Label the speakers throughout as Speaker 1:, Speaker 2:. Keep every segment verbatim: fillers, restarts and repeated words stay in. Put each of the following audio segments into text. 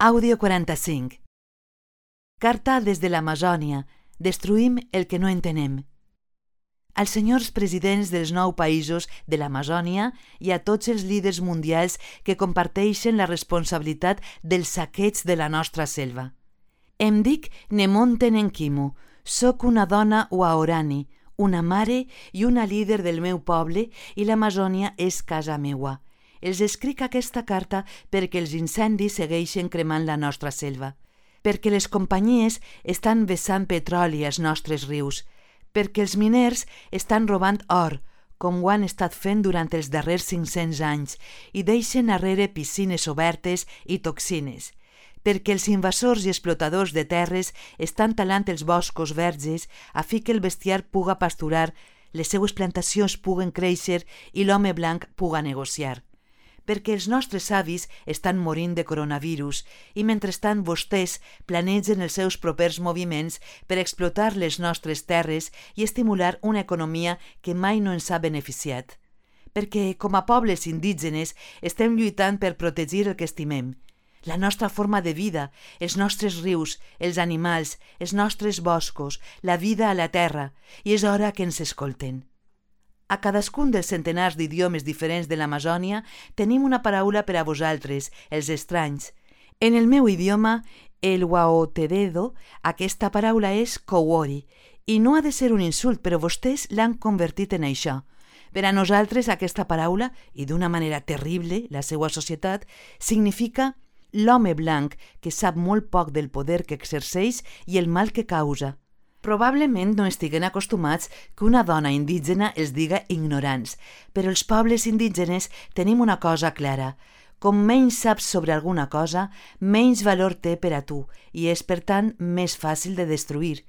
Speaker 1: Àudio quaranta-cinc. Carta des de l'Amazònia. Destruïm el que no entenem. Als senyors presidents dels nou països de l'Amazònia i a tots els líders mundials que comparteixen la responsabilitat del saqueig de la nostra selva. Em dic Nemonte Nenkimu, soc una dona waorani, una mare i una líder del meu poble i l'Amazònia és casa meua. Els escric aquesta carta perquè els incendis segueixen cremant la nostra selva, perquè les companyies estan vessant petroli als nostres rius, perquè els miners estan robant or, com ho han estat fent durant els darrers cinc-cents anys, i deixen arrere piscines obertes i toxines, perquè els invasors i explotadors de terres estan talant els boscos verges a fi que el bestiar puga pasturar, les seues plantacions puguen créixer i l'home blanc puga negociar. Perquè els nostres avis estan morint de coronavirus i mentrestant vostès planegen els seus propers moviments per explotar les nostres terres i estimular una economia que mai no ens ha beneficiat. Perquè com a pobles indígenes estem lluitant per protegir el que estimem, la nostra forma de vida, els nostres rius, els animals, els nostres boscos, la vida a la terra, i és hora que ens escolten. A cadascun dels centenars d'idiomes diferents de l'Amazònia tenim una paraula per a vosaltres, els estranys. En el meu idioma, el Waotededo, aquesta paraula és kowori, i no ha de ser un insult, però vostès l'han convertit en això. Per a nosaltres aquesta paraula, i d'una manera terrible, la seva societat, significa l'home blanc que sap molt poc del poder que exerceix i el mal que causa. Probablement no estiguen acostumats que una dona indígena els diga ignorants, però els pobles indígenes tenim una cosa clara. Com menys saps sobre alguna cosa, menys valor té per a tu i és, per tant, més fàcil de destruir.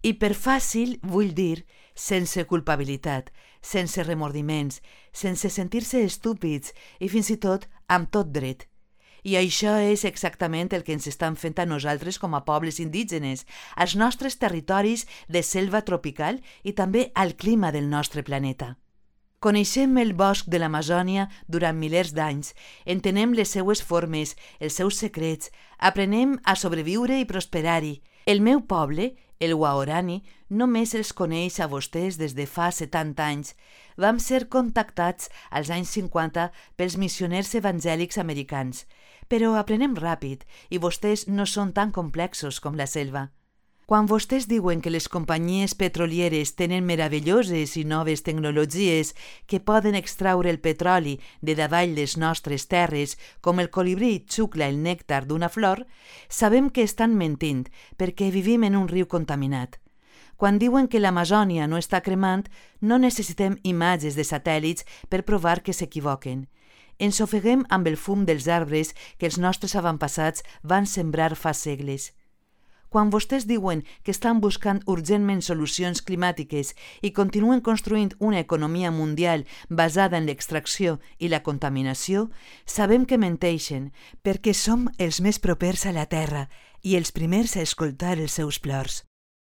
Speaker 1: I per fàcil vull dir sense culpabilitat, sense remordiments, sense sentir-se estúpids i fins i tot amb tot dret. I això és exactament el que ens estan fent a nosaltres com a pobles indígenes, als nostres territoris de selva tropical i també al clima del nostre planeta. Coneixem el bosc de l'Amazònia durant milers d'anys, entenem les seues formes, els seus secrets, aprenem a sobreviure i prosperar-hi. El meu poble, el Waorani, només els coneix a vostès des de fa setanta anys. Vam ser contactats als anys cinquanta pels missioners evangèlics americans, però aprenem ràpid i vostès no són tan complexos com la selva. Quan vostès diuen que les companyies petrolieres tenen meravelloses i noves tecnologies que poden extraure el petroli de davall les nostres terres com el colibrí xucla el nèctar d'una flor, sabem que estan mentint perquè vivim en un riu contaminat. Quan diuen que l'Amazònia no està cremant, no necessitem imatges de satèl·lits per provar que s'equivoquen. Ens ofeguem amb el fum dels arbres que els nostres avantpassats van sembrar fa segles. Quan vostès diuen que estan buscant urgentment solucions climàtiques i continuen construint una economia mundial basada en l'extracció i la contaminació, sabem que menteixen perquè som els més propers a la Terra i els primers a escoltar els seus plors.